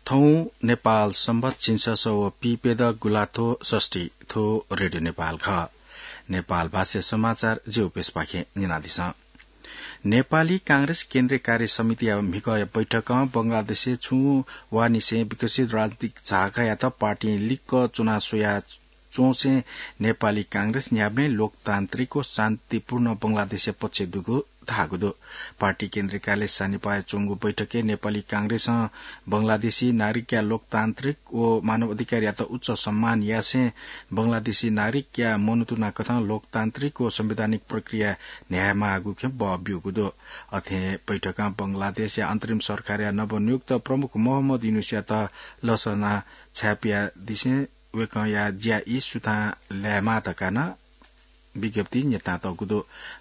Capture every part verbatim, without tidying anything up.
थौं नेपाल संवत् झिंछसः व पीप्यदँ गुंलाथ्व षष्ठी। थ्व रेडियो नेपाल खः। नेपाल भाषाया समाचार जि उपेशपाखें न्यनादिसँ। नेपाली कांग्रेस केन्द्रीय कार्य समितिया म्हिगःया बैठकं बंगलादेशय् छुं वाःनिसें विकसित राजनीतिक झाःकायात पार्टीं लिक्क च्वना स्वया च्वंसें नेपाली कांग्रेस न्ह्याबलें लोकतान्त्रिक व शान्तिपूर्ण बंगलादेशया पक्षय् दुगु धाःगु दु। पार्टी केन्द्रीय कार्यालय सानिपाय् च्वंगु बैठकय् नेपाली कांग्रेसं बंगलादेशी नागरिकया लोकतान्त्रिक व मानव अधिकारयात उच्च सम्मान यासें बंगलादेशी नागरिकया मनूतुना कथं लोकतान्त्रिक व संवैधानिक प्रक्रिया न्ह्यायेमाःगु खँ बः ब्यूगु दु। अथे बैठकं बंगलादेशया अन्तरिम सरकारया नवनियुक्त प्रमुख मोहम्मद युनुसयात लसना छाय्‌पियादिसें वय्‌कःया ज्या ई सुथां लायेमाः धकाः नं विज्ञप्ति न्ह्यथनातःगु दु।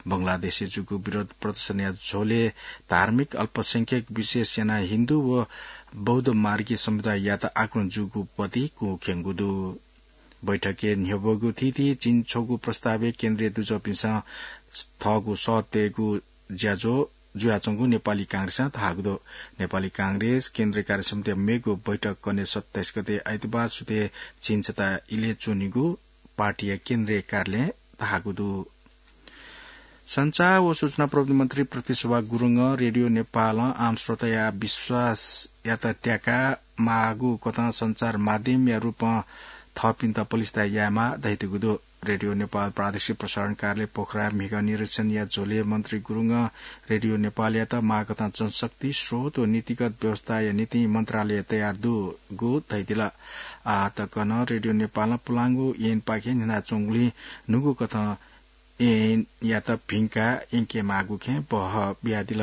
बंगलादेशय् जूगु विरोध प्रदर्शनया झ्वलय् धार्मिक अल्पसंख्यक, विशेष यानाः हिन्दू व बौद्ध मार्गी समुदाययात आक्रमण जूगु पति कुंखिंगु दु। बैठकय् न्ह्यब्वःगु थीथी झिंछगू प्रस्तावय् केन्द्रीय दुजःपिन्सं थःगु सः तयेगु ज्याझ्वः जुयाच्वंगु नेपाली कांग्रेसं धाःगु दु। नेपाली कांग्रेस केन्द्रीय कार्य समितिया मेगु बैठक कन्हय् सत्ताइस गते आइतबार सुथय् झिंछता इलय् च्वनीगु पार्टीया केन्द्रीय कार्यालयं धाःगु दु। सञ्चार व सूचना प्रविधि मन्त्री पृथ्वीशोभा गुरुङं रेडियो नेपालं आम श्रोताया विश्वासयात त्याका माःगु कथं सञ्चार माध्यमया रूपं थःपिन्त पलिस्था यायेमाः धयादीगु दु। रेडियो नेपाल प्रादेशिक प्रसारण कार्यालय पोखराया म्हिगः निरीक्षणया झ्वलय् मन्त्री गुरुङं रेडियो नेपालयात माःकथं जनशक्ति, स्रोत व नीतिगत व्यवस्थाया निंतिं मन्त्रालय तयार दुगु धयादिल। आः तक नं रेडियो नेपालं पुलांगु ऐनपाखें न्ह्यनाच्वंगुलिं न्हूगु कथं ऐनयात भिंकाः यंकेमाःगु खँ बः बियादिल।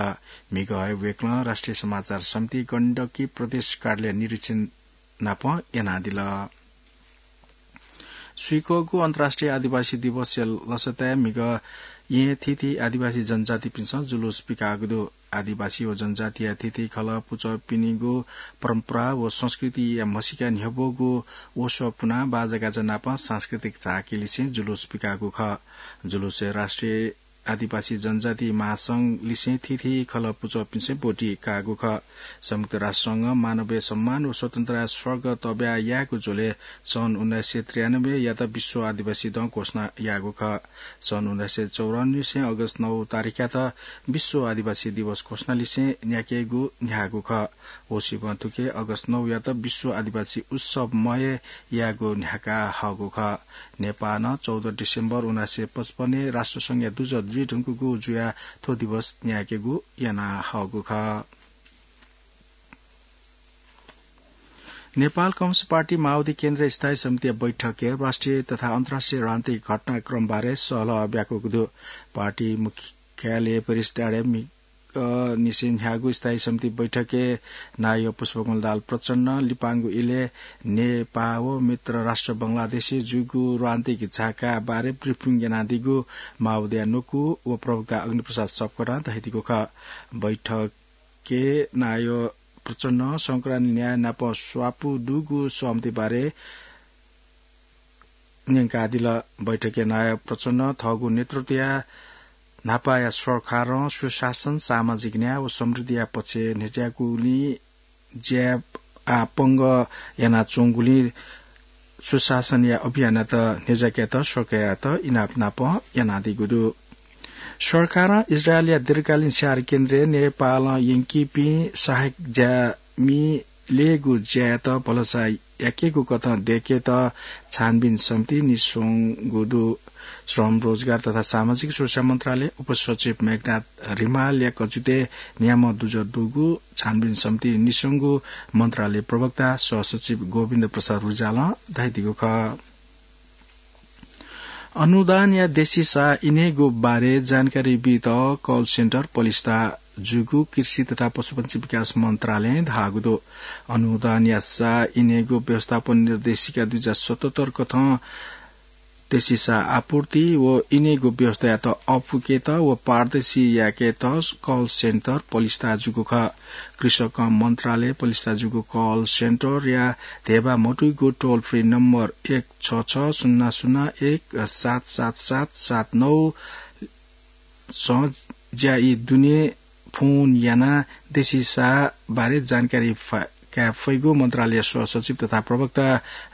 म्हिगः हे वय्‌कलं राष्ट्रिय समाचार समिति गण्डकी प्रदेश कार्यालय निरीक्षण नाप यानादिल। स्वीकःगु अन्तर्राष्ट्रिय आदिवासी दिवसया लसताय् म्हिगः येँ थीथी आदिवासी जनजातिपिन्सं जुलुस पिकाःगु दु। आदिवासी व जनजातिया थीथी खलः पुचःपिनिगु परम्परा व संस्कृतिया म्हसीका न्ह्यब्वःगु वसः पुनाः बाजागाजा नाप सांस्कृतिक झाँकी लिसें जुलुस पिकाःगु खः। जुलुसय् राष्ट्रिय आदिवासी जनजाति महासंघ लिसें थीथी खलः पुचःपिन्सं ब्वति काःगु खः। संयुक्त राष्ट्र संघं मानवीय सम्मान व स्वतन्त्रताया स्वर्ग तब्या यायेगु झ्वलय् सन् उन्नाइस सय त्रियानब्बेयात विश्व आदिवासी दँ घोषणा याःगु खः। सन् उन्नाइस सय चौरानब्बें अगस्त नौ तारिखयात विश्व आदिवासी दिवस घोषणा लिसें न्ह्याकेगु न्ह्याःगु खः। होसिबं थुके अगस्त नौयात विश्व आदिवासी उत्सव मय यायेगु न्ह्याका हःगु खः। नेपालं चौध डिसेम्बर उन्नाइस सय पचपन्नय् राष्ट्रसंघया दुजः जुइधुंकूगु जुयाः थ्व दिवस न्ह्याकेगु याना हःगु खः। नेपाल कम्युनिस्ट पार्टी माओवादी केन्द्रीय स्थायी समितिया बैठकय् राष्ट्रिय तथा अन्तर्राष्ट्रिय राजनीतिक घटनाक्रमबारे सहलह ब्याकूगु दु। पार्टी मुख्यालय प्रेस डाँडाय् मि-, अ, निसें न्ह्याःगु स्थायी समिति बैठकय् नायः पुष्पकमल दाहाल प्रचण्डं लिपांगु इलय् नेपाः व मित्र राष्ट्र बंगलादेशय् जूगु राजनीतिक झाकाबारे ब्रिफिङ यानादीगु माओवादीया न्वकू व प्रवक्ता अग्निप्रसाद सपकोटां धयादीगु खः। बैठक के नायः प्रचण्डं संक्रान्ति न्याय नाप स्वापू दुगु सहमतिबारे न्यंकादिल। बैठकय् नायः प्रचण्डं थःगु नेतृत्वया न्हापाया सरकारं सुशासन, सामाजिक न्याय व समृद्धिया पक्षय् न्ह्यज्याकूगुलिं ज्या आः पंगः यानाच्वंगुलिं सुशासनया अभियानयात न्ह्यज्याकेत सरकारयात इनाप नाप यानादीगु दु। सरकारं इजरायलया दीर्घकालीन स्याहार केन्द्रय् नेपालं यंकीपिं सहायक ज्यामि लयेगु ज्यायात भलसा याकेगु कथं दयेकेत छानबिन समिति निस्वंगु दु। श्रम, रोजगार तथा सामाजिक सुरक्षा मन्त्रालय उपसचिव मेघनाथ रिमालया कचुतय् न्याम्ह दुजः दुगु छानबिन समिति निस्वंगु मन्त्रालय प्रवक्ता सहसचिव गोविन्द प्रसाद रिजालं धयादीगु खः। अनुदानया देसीसा इनेगु बारे जानकारी बीत कल सेन्टर पलिस्था जूगु कृषि तथा पशुपन्छी विकास मन्त्रालयं धाःगु दु। अनुदानया सा इनेगु व्यवस्थापन निर्देशिका दुई हजार सतहत्तर कथं देसीसा आपूर्ति व इनेगु व्यवस्थायात अःपुकेत व पारदर्शी याकेत कल सेन्टर पलिस्था जूगु खः। कृषक मन्त्रालय पलिस्था जूगु कल सेन्टरया धेबा मदुगु टोल फ्री नम्बर एक छ छ शून्य शून्य एक सात सात सात सात नौ सं ज्या ई दुने फोन यानाः देसीसा बारे जानकारी फा-, काये फइगु मन्त्रालय सहसचिव तथा प्रवक्ता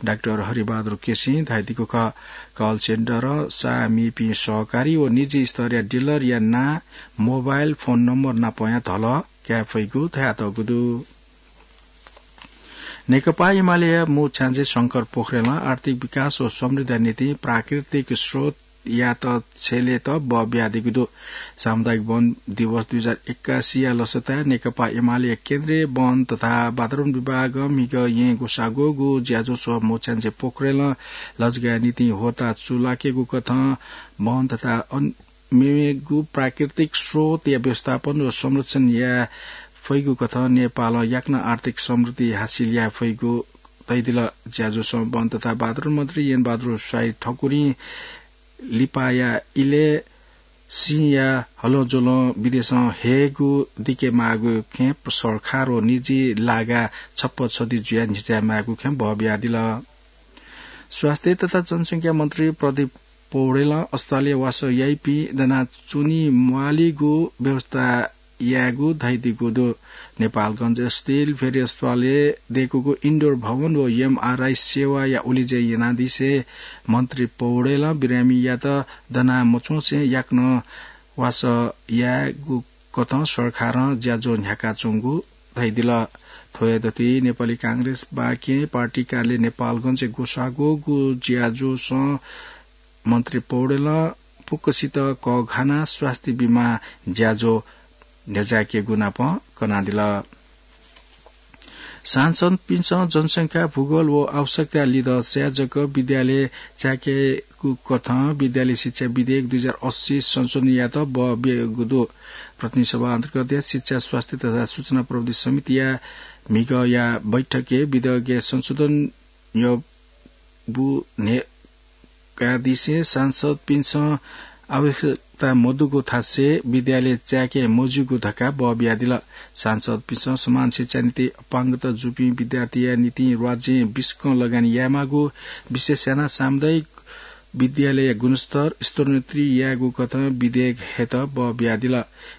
डाक्टर हरिबहादुर केसीं धयादीगु खः। कल सेन्टर साःमीपिं सहकारी व निजी स्तरया डिलरया नां, मोबाइल फोन नम्बर नापया धलः काये फइगु धयातःगु दु। नेकपा एमालेया मू छ्याञ्जे शंकर पोखरेलं आर्थिक विकास व समृद्धिया निंतिं प्राकृतिक स्रोत यात छ्यलेत बः बियादीगु दु। सामुदायिक वन दिवस दुई हजार एक्कासीया लसताय् नेकपा एमालेया केन्द्रीय वन तथा वातावरण विभागं म्हिगः येँ ग्वसाः ग्वःगु ज्याझ्वलय् मू छ्याञ्जे पोखरेलं लजगाःया निंतिं होता चूलाकेगु कथं वन तथा अन-, मेमेगु प्राकृतिक स्रोतया व्यवस्थापन व संरक्षण याये फइगु कथं नेपालं याकनं आर्थिक समृद्धि हासिल याये फइगु धयादिल। ज्याझ्वलय् वन तथा वातावरण मन्त्री यनबहादुर शाही ठकुरीं लिपाया इलय् सिंया हलंज्वलं विदेशं हयेगु दिके माःगु खँय् सरकार व निजी लागा छप्पा छधी जुयाः न्ह्यचाये माःगु खँय् बः बियादिल। स्वास्थ्य तथा जनसंख्या मन्त्री प्रदीप पौडेलं अस्पतालय् वासः याइपिं दनाच्वने म्वालीगु व्यवस्था यायेगु धयादीगु दु। नेपालगञ्ज स्टिल भेरी अस्पतालय् दय्कूगु इन्डोर भवन व एमआरआई सेवाया उलेज्या यानादिसें मन्त्री पौडेलं बिरामीयात दना मच्वंसे याकनं वासः यायेगु कथं सरकारं ज्याझ्वः न्ह्याकाच्वंगु धयादिल। थ्व हे दथुइ नेपाली कांग्रेस बाहेक पार्टी कार्यालय नेपालगञ्जय् ग्वसाः ग्वःगु ज्याझ्वलय् मन्त्री पौडेलं फुक्कसित कःघानाः स्वास्थ्य बिमा ज्याझ्वः न्ह्यचायेकेगु नाप कनादिल। सांसदपिन्सं जनसंख्या, भूगोल व आवश्यकताया लिधंसाय् जक विद्यालय चायेकेगु कथं विद्यालय शिक्षा विधेयक दुई हजार अस्सी संशोधन यायेत बः बियागु दु। प्रतिनिधि सभा अन्तर्गतया शिक्षा, स्वास्थ्य तथा सूचना प्रविधि समितिया म्हिगःया बैठकय् विधेयकय् संशोधन याःगु न्ह्यकादिसें सांसदपिन्सं आवश्यकता मदुगु थासय् विद्यालय चायेके मज्यूगु धकाः बः बियादिल। सांसदपिन्सं समान शिक्षा नीतिं अपाङ्गता जूपिं विद्यार्थीया निंतिं राज्यं बिस्कं लगानी यायेमाःगु, विशेष यानाः सामुदायिक विद्यालयया गुणस्तर स्तरोन्नति यायेगु कथं विधेयक हयेत बः बियादिल।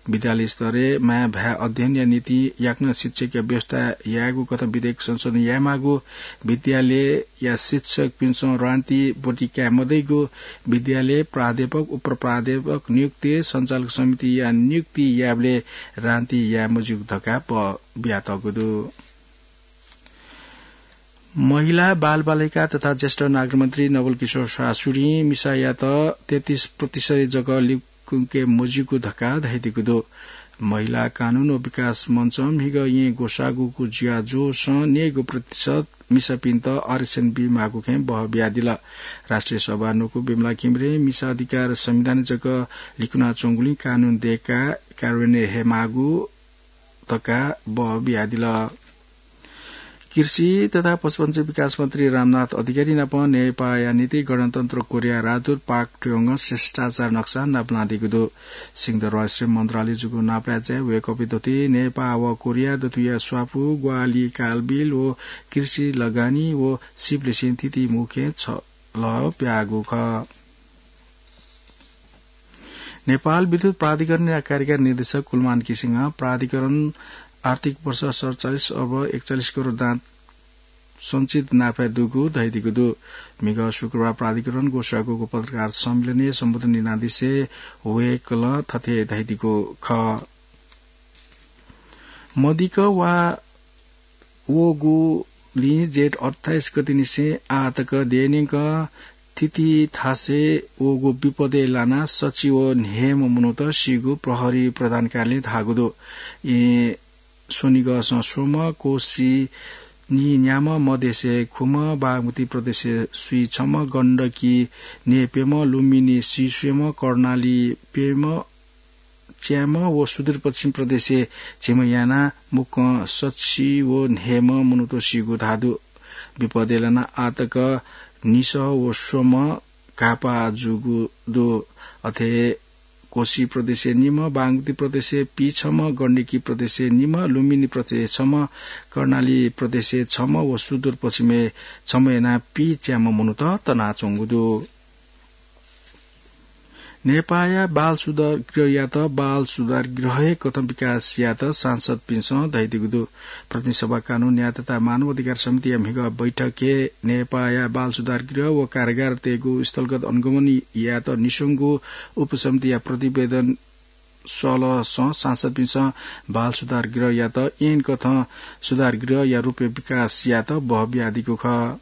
विद्यालय स्तरय् माय् भाय् अध्ययनया निंतिं याकनं शिक्षकया व्यवस्था यायेगु कथं विधेयक संशोधन यायेमाःगु, विद्यालयया शिक्षकपिन्सं रान्ति ब्वति काये मदइगु, विद्यालय प्राध्यापक, उपप्राध्यापक नियुक्ति, सञ्चालक समितिया नियुक्ति यायेबलय् रान्ति याये मज्यूगु धकाः बः बियातःगु दु। महिला, बालबालिका तथा ज्येष्ठ नागरिक मन्त्री नवल किशोर शाह सूरीं मिसायात तेत्तिस प्रतिशत जक लिकुंके मज्यूगु धकाः धयादीगु दु। महिला कानून व विकास मञ्चं म्हिगः येँ ग्वसाः ग्वःगु ज्याझ्वलय् नयेगू प्रतिशत मिसापिन्त आरक्षण बीमाःगु खँय् बः बियादिल। राष्ट्रिय सभा न्वकू विमला घिमिरें मिसा अधिकार संविधानय् जक लिकुनाच्वंगुलिं कानून दय्काः कार्यान्वयन हयेमाःगु धकाः बः बियादिल। कृषि तथा पशुपन्छी विकास मन्त्री रामनाथ अधिकारी नाप नेपाःया निंतिं गणतन्त्र कोरिया राजदूत पाक ट्योङं शिष्टाचार नक्सा नापलानादीगु दु। सिंहदरबार श्रम मन्त्रालयय् जूगु नापलाय् वय्कःपिं दथुइ नेपाः व कोरिया दथुइया स्वापू, ग्वाहालि, कालबिल व कृषि लगानी व सिपलिसें थीथी मू खँय् छलह ब्याःगु खः। नेपाल विद्युत प्राधिकरणया कार्यकारी निर्देशक कुलमान किसिङं प्राधिकरण आर्थिक वर्ष सतचालिस अर्ब एकचालिस करोड दां सञ्चित नाफा दुगु धयादीगु दु। म्हिगः शुक्रबार प्राधिकरण ग्वसाः ग्वःगु पत्रकार सम्मेलनय् सम्बोधन यानादिसें वय्कलं थथे धयादीगु खः। मदिक्क वा वःगुलिं जेठ अट्ठाइस गतेनिसें आः तक देय् न्यंकं थीथी थासय् वःगु विपदय् लानाः सछि व न्हय्म्ह मनूत सीगु प्रहरी प्रधान कार्यालयं धाःगु दु। येँ स्वनिगःसं स्वम्ह, कोशी नीन्याम्ह, मधेशय् खुम्ह, बागमती प्रदेशय् स्वीछम्ह, गण्डकी न्यय्प्यम्ह, लुम्बिनी सीस्वयेम्ह, कर्णाली प्यम्ह, च्याम्ह व सुदूरपश्चिम प्रदेशय् झिम्ह यानाः मुक्कं सछि व न्हय्म्ह मनूत सीगु धाःगु दु। विपदय् लानाः आः तक निसः व स्वम्ह घाःपाः जूगु दु। अथे कोशी प्रदेशय् निम्ह, बागमती प्रदेशय् पीछम्ह, गण्डकी प्रदेशय् निम्ह, लुम्बिनी प्रदेशय् छम्ह, कर्णाली प्रदेशय् छम्ह व सुदूरपश्चिमय् छम्ह यानाः पीच्याम्ह मनूत तनाच्वंगु दु। नेपाःया बाल सुधार गृहयात बाल सुधार गृह हे कथं विकास यात सांसदपिन्सं धयादीगु दु। प्रतिनिधि सभा कानून न्याय तथा मानव अधिकार समितिया म्हिगः बैठकय् नेपाःया बाल सुधार गृह व कारागारतय्गु स्थलगत अनुगमन यात निस्वंगु उपसमितिया प्रतिवेदन सलसं सांसदपिन्सं बाल सुधार गृहयात ऐन कथं सुधार गृहया रूपय् विकास यात बह बियादीगु खः।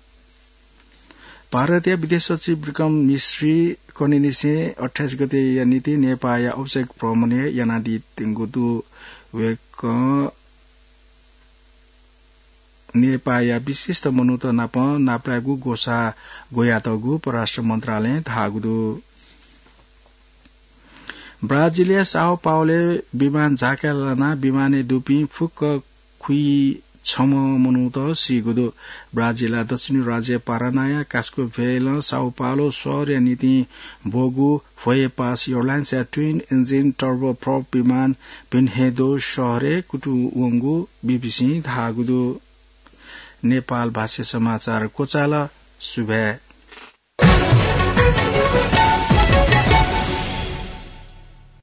भारतया विदेश सचिव विक्रम मिश्री कन्हय्निसें अट्ठाइस गतेया निंतिं नेपाःया औपचारिक भ्रमणय् यानादीत्यंगु दु। वय्कलं नेपाःया विशिष्ट मनूत नाप नापलायेगु ग्वसाः ग्वयातःगु परराष्ट्र मन्त्रालयं धाःगु दु। ब्राजिलया साओ पाओलय् विमान झाकाय् लानाः विमानय् दुपिं फुक्क खुइछम्ह मनूत सीगु दु। ब्राजिलया दक्षिणी राज्य पारानाया कास्काभ्वेलं साओ पाओलो शहरया निंतिं ब्वःगु भ्वय्पास एयरलाइन्सया ट्विन इन्जिन टर्बोप्रोप विमान भिन्हेदो शहरय् कुतुं वंगु बीबीसीं धाःगु दु। नेपाल भाषा समाचार क्वचाल। सुभाय्।